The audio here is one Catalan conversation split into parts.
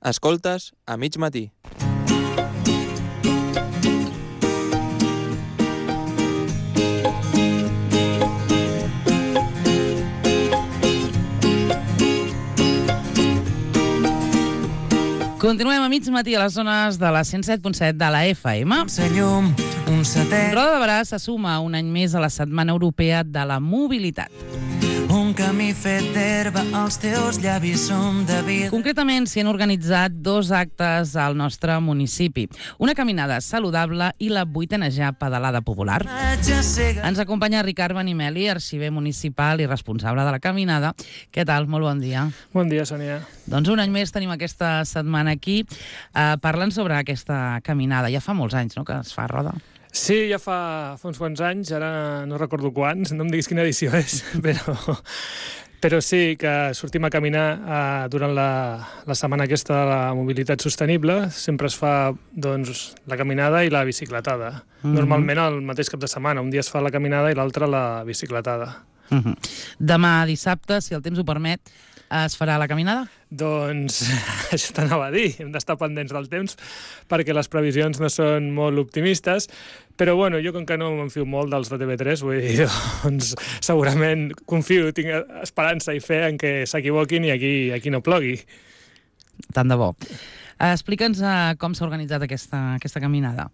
Escoltes a mig matí. Continuem a mig matí a les zones de la 107.7 de la FM. Roda de Berà se suma un any més a la Setmana Europea de la Mobilitat. Un camí fet d'herba, els teus llavis són de vida. Concretament, s'hi han organitzat 2 actes al nostre municipi. Una caminada saludable i la 8a pedalada popular. Ens acompanya Ricard Benimeli, arxiver municipal i responsable de la caminada. Què tal? Molt bon dia. Bon dia, Sònia. Doncs un any més tenim aquesta setmana aquí parlant sobre aquesta caminada. Ja fa molts anys, no?, que es fa, Roda. Sí, ja fa uns quants anys, ara no recordo quants, no em diguis quina edició és, però sí que sortim a caminar durant la setmana aquesta de la mobilitat sostenible. Sempre es fa doncs, la caminada i la bicicletada. Normalment el mateix cap de setmana. Un dia es fa la caminada i l'altre la bicicletada. Demà dissabte, si el temps ho permet, es farà la caminada? Doncs això t'anava a dir, hem d'estar pendents del temps perquè les previsions no són molt optimistes, però bueno, jo com que no m'enfio molt dels de TV3, vull dir, doncs segurament confio, tinc esperança i fe en que s'equivoquin i aquí no plogui. Tant de bo. Explica'ns com s'ha organitzat aquesta caminada.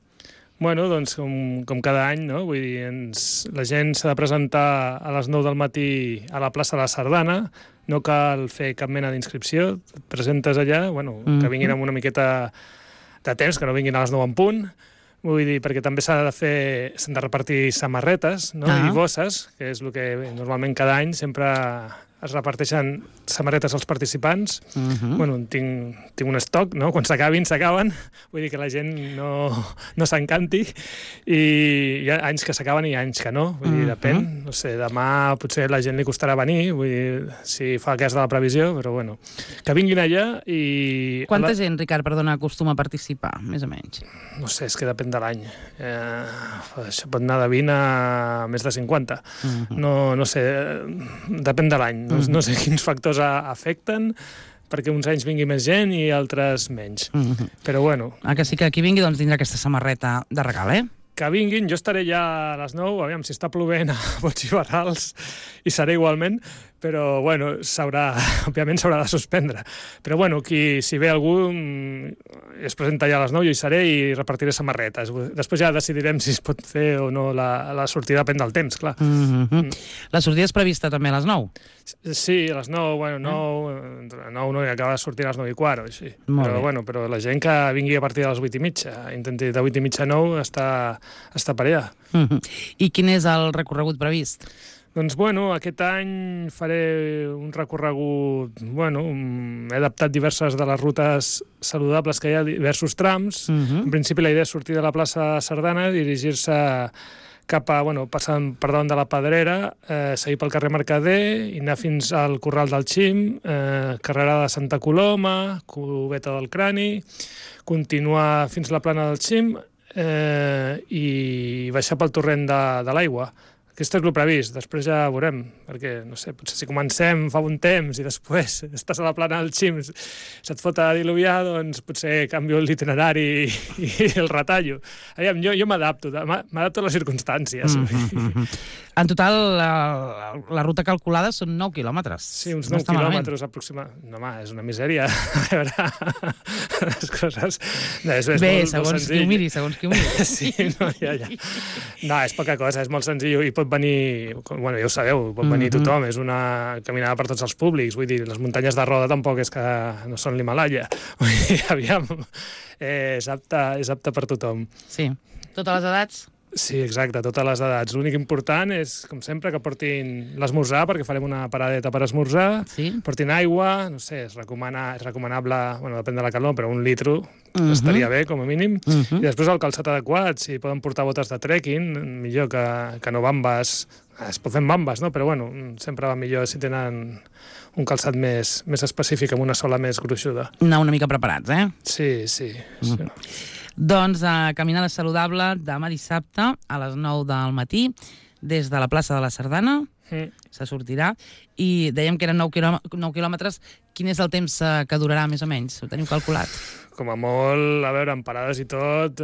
Bueno, doncs com cada any, no? Vull dir, la gent s'ha de presentar a les 9 del matí a la plaça de la Sardana, no cal fer cap mena d'inscripció, et presentes allà, bueno, que vinguin amb una miqueta de temps, que no vinguin a les 9 en punt, vull dir, perquè també s'han de repartir samarretes, no? I bosses, que és el que normalment cada any sempre es reparteixen samarretes als participants. Bueno, tinc un estoc, no? Quan s'acaben, vull dir que la gent no s'encanti, i hi ha anys que s'acaben i anys que no, vull dir, depèn. No sé, demà potser la gent li costarà venir, vull dir, si fa cas de la previsió, però bueno, que vinguin allà i... Quanta gent, Ricard, perdona, acostuma a participar, més o menys? No sé, és que depèn de l'any. Això pot anar de 20 a més de 50. No sé, depèn de l'any. No sé quins factors afecten perquè uns anys vingui més gent i altres menys. Però bueno... Que sí que qui vingui doncs tindrà aquesta samarreta de regal, Que vinguin, jo estaré ja a les 9, aviam, si està plovent a bots i barrals, i seré igualment, però, bueno, òbviament s'haurà de suspendre. Però, bueno, si ve algú es presenta ja a les 9, jo hi seré i repartiré samarretes. Després ja decidirem si es pot fer o no la sortida, depèn del temps, clar. La sortida és prevista també a les 9? Sí, a les 9, bueno, 9 no, i acaba de sortir a les 9 i quart, o així. Però la gent que vingui a partir de les 8 i mitja, intenti de 8 i mitja a 9 està per allà. I quin és el recorregut previst? Doncs, bueno, aquest any faré un recorregut... Bueno, he adaptat diverses de les rutes saludables que hi ha, diversos trams. En principi la idea és sortir de la plaça Sardana, dirigir-se cap a, passant per davant de la Pedrera, seguir pel carrer Mercader i anar fins al Corral del Xim, carrera de Santa Coloma, Cubeta del Crani, continuar fins a la Plana del Xim i baixar pel torrent de l'Aigua. Aquest és el previst, després ja veurem, perquè, no sé, potser si comencem fa un temps i després estàs a la Plana del Xim, se't fot a diluviar, doncs potser canvio l'itinerari i el retallo. Aviam, jo m'adapto a les circumstàncies. En total, la ruta calculada són 9 quilòmetres. Sí, uns 9 quilòmetres aproximadament. No, home, és una misèria. A veure, les coses... Bé, segons qui ho miri, Sí, no, ja. No, és poca cosa, és molt senzill i pot venir, bueno, ja ho sabeu, pot venir tothom, és una caminada per tots els públics, vull dir, les muntanyes de Roda tampoc és que no són l'Himalaya, vull dir, aviam, és apte per tothom. Sí, totes les edats? Sí, exacte, totes les edats. L'únic important és, com sempre, que portin l'esmorzar, perquè farem una paradeta per esmorzar, portin aigua, no sé, és recomanable, bueno, depèn de la calor, però 1 litre estaria bé, com a mínim, i després el calçat adequat, si poden portar botes de trekking, millor que no bambes, es pot fer amb bambes, no? Però bueno, sempre va millor si tenen un calçat més específic, amb una sola més gruixuda. Anar una mica preparats, Sí. Doncs caminada saludable demà dissabte a les 9 del matí des de la plaça de la Sardana. se sortirà, i dèiem que eren 9 quilòmetres. Quin és el temps que durarà, més o menys? Ho teniu calculat? Com a molt, a veure, amb parades i tot,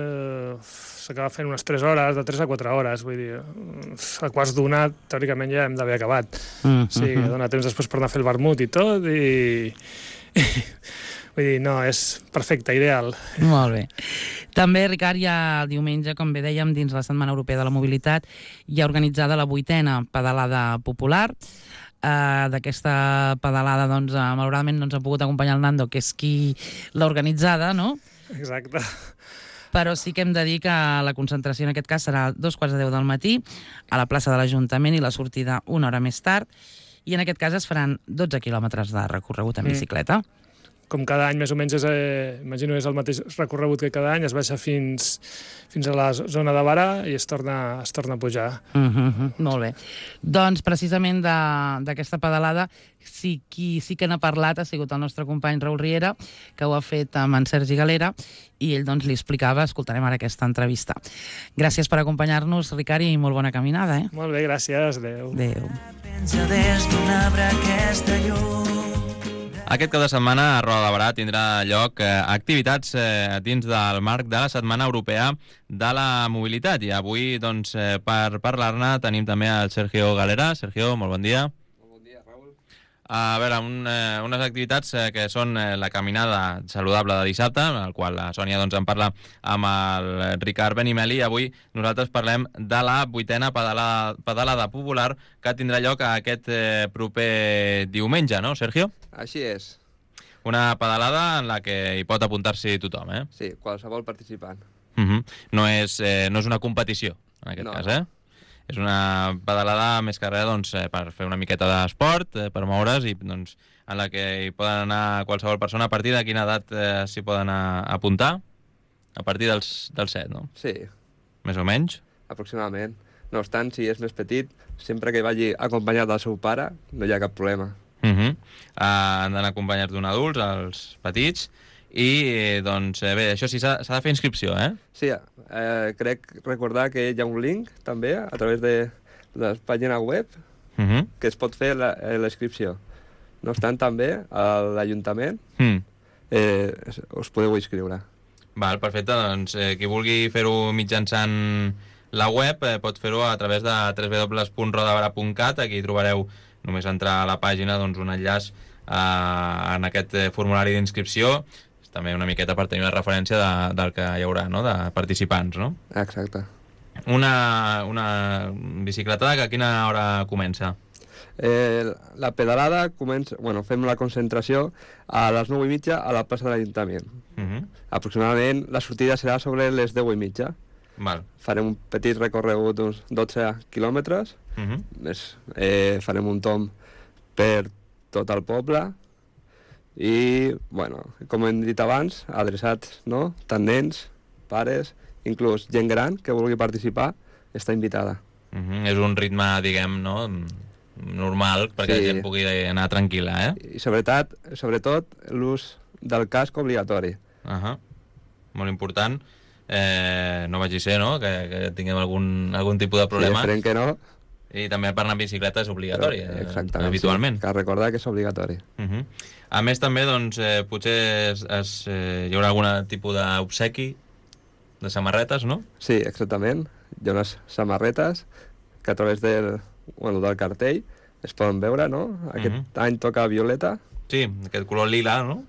s'acaba fent unes 3 hores, de 3 a 4 hores, vull dir, a quarts d'una, teòricament ja hem d'haver acabat. Sí, dona temps després per anar a fer el vermut i tot, i vull dir, no, és perfecte, ideal. Molt bé. També, Ricard, ja el diumenge, com bé dèiem, dins la Setmana Europea de la Mobilitat, hi ha organitzada la 8a pedalada popular. D'aquesta pedalada, doncs, malauradament no ens ha pogut acompanyar el Nando, que és qui l'ha organitzada, no? Exacte. Però sí que hem de dir que la concentració en aquest cas serà a 2:45 del matí a la plaça de l'Ajuntament i la sortida una hora més tard, i en aquest cas es faran 12 quilòmetres de recorregut en bicicleta. Com cada any, més o menys, imagino és el mateix recorregut que cada any, es baixa fins a la zona de Barà i es torna a pujar. Molt bé. Doncs precisament d'aquesta pedalada qui sí que n'ha parlat ha sigut el nostre company Raül Riera, que ho ha fet amb en Sergi Galera, i ell doncs li explicava. Escoltarem ara aquesta entrevista. Gràcies per acompanyar-nos, Ricard, i molt bona caminada. Molt bé, gràcies. Adéu. Adéu. Penja des d'un arbre aquesta llum. Aquest cap de setmana a Roda de Barà tindrà lloc activitats dins del marc de la Setmana Europea de la Mobilitat. I avui, doncs, per parlar-ne tenim també el Sergio Galera. Sergio, molt bon dia. Molt bon dia, Raül. A veure, unes activitats que són la caminada saludable de dissabte, en el qual la Sònia doncs, en parla amb el Ricard Benimeli, i avui nosaltres parlem de la 8a pedalada popular que tindrà lloc aquest proper diumenge, no, Sergio? Així és. Una pedalada en la que hi pot apuntar-s'hi tothom, eh? Sí, qualsevol participant. No és una competició, en aquest cas, eh? És una pedalada més que res doncs, per fer una miqueta d'esport, per moure's, i doncs, en la que hi poden anar qualsevol persona. A partir de quina edat s'hi poden apuntar? A partir dels 7, no? Sí. Més o menys? Aproximadament. No obstant, si és més petit, sempre que vagi acompanyat del seu pare, no hi ha cap problema. Han d'anar acompanyats d'un adult, els petits, i doncs bé, això sí, s'ha de fer inscripció, eh? Sí, crec recordar que hi ha un link també a través de la pàgina web que es pot fer la inscripció. No obstant, també a l'Ajuntament us podeu inscriure. Val, perfecte, doncs qui vulgui fer-ho mitjançant la web pot fer-ho a través de www.rodabara.cat. Aquí trobareu, només entrar a la pàgina, doncs, un enllaç en aquest formulari d'inscripció. També una miqueta per tenir una referència del que hi haurà, no?, de participants, no? Exacte. Una bicicletada que a quina hora comença? La pedalada comença... Bueno, fem la concentració a les 9:30 a la plaça de l'Ajuntament. Aproximadament la sortida serà sobre les 10:30. Val. Farem un petit recorregut d'uns 12 quilòmetres. Farem un tomb per tot el poble i, bueno, com hem dit abans, adreçats, no?, tant nens, pares, inclús gent gran que vulgui participar, està invitada. És un ritme, diguem, no?, normal, perquè la gent pugui anar tranquil·la, eh? I sobretot l'ús del casc obligatori. Molt important. No vagi ser, no?, que tinguem algun tipus de problema. Sí, esperem que no. I també per anar en bicicleta és obligatori, Sí, habitualment. cal recordar que és obligatori. A més, també, doncs, potser hi haurà algun tipus d'obsequi de samarretes, no? Sí, exactament. Hi ha unes samarretes que a través del cartell es poden veure, no? Aquest any toca violeta. Sí, aquest color lila, no?,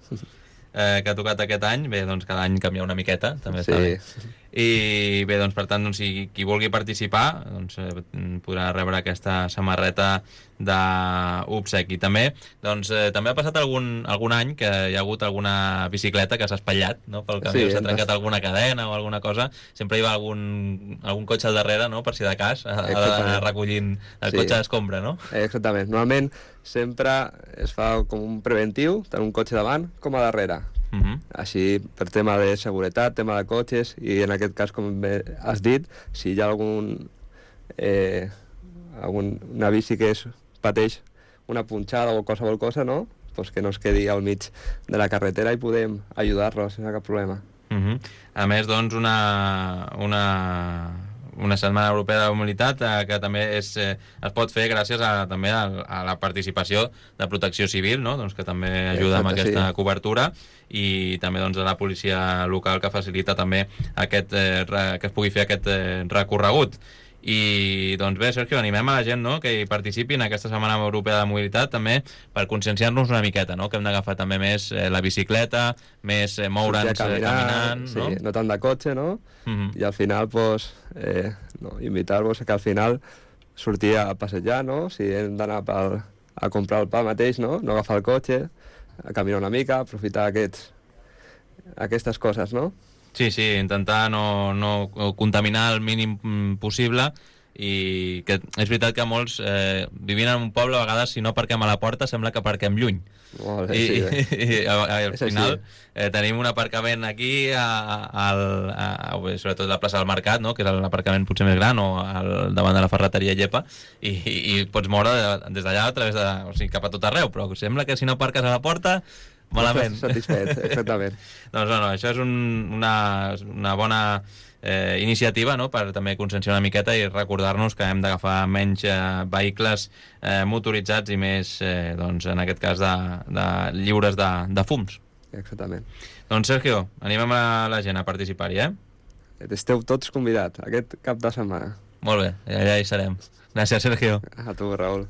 que ha tocat aquest any. Bé, doncs cada any canvia una miqueta, també està bé. I bé, doncs per tant, doncs, si qui vulgui participar doncs, podrà rebre aquesta samarreta d'obsequi. També, doncs, també ha passat algun any que hi ha hagut alguna bicicleta que s'ha espatllat, no?, pel camí, s'ha trencat alguna cadena o alguna cosa. Sempre hi va algun cotxe al darrere, no?, per si de cas, ha d'anar recollint el cotxe d'escombra, no? Exactament. Normalment sempre es fa com un preventiu, tant un cotxe davant com a darrere. Així, per tema de seguretat, tema de cotxes, i en aquest cas, com bé has dit, si hi ha una bici que pateix una punxada o qualsevol cosa, no?, pues que no es quedi al mig de la carretera i podem ajudar-los sense cap problema. A més, doncs, una setmana europea de la mobilitat que també es pot fer gràcies també a la participació de Protecció Civil, no? Doncs que també ajuda amb aquesta cobertura, i també doncs, a la policia local, que facilita també que es pugui fer aquest recorregut. I doncs bé, Sergio, animem a la gent, no?, que hi participi en aquesta Setmana Europea de Mobilitat, també per conscienciar-nos una miqueta, no?, que hem d'agafar també més la bicicleta, més moure'ns caminant, sí, no tant de cotxe, no? I al final, pues, invitar-vos a que al final sortir a passejar, no? Si hem d'anar a comprar el pa mateix, no agafar el cotxe, a caminar una mica, aprofitar aquestes coses, no? Sí, intentar no contaminar el mínim possible, i que és veritat que molts, vivint en un poble, a vegades si no aparquem a la porta sembla que aparquem lluny. Molt bé, sí, I al final tenim un aparcament aquí, sobretot a la plaça del Mercat, no?, que és l'aparcament potser més gran, o davant de la ferreteria Llepa, i pots moure des d'allà cap a tot arreu, però sembla que si no aparques a la porta malament. Satisfet, exactament. Doncs això és una bona iniciativa, no?, per també conscienciar una miqueta i recordar-nos que hem d'agafar menys vehicles motoritzats i més, doncs, en aquest cas, lliures de fums. Exactament. Doncs, Sergio, animem a la gent a participar-hi, Esteu tots convidats aquest cap de setmana. Molt bé, allà hi serem. Gràcies, Sergio. A tu, Raül.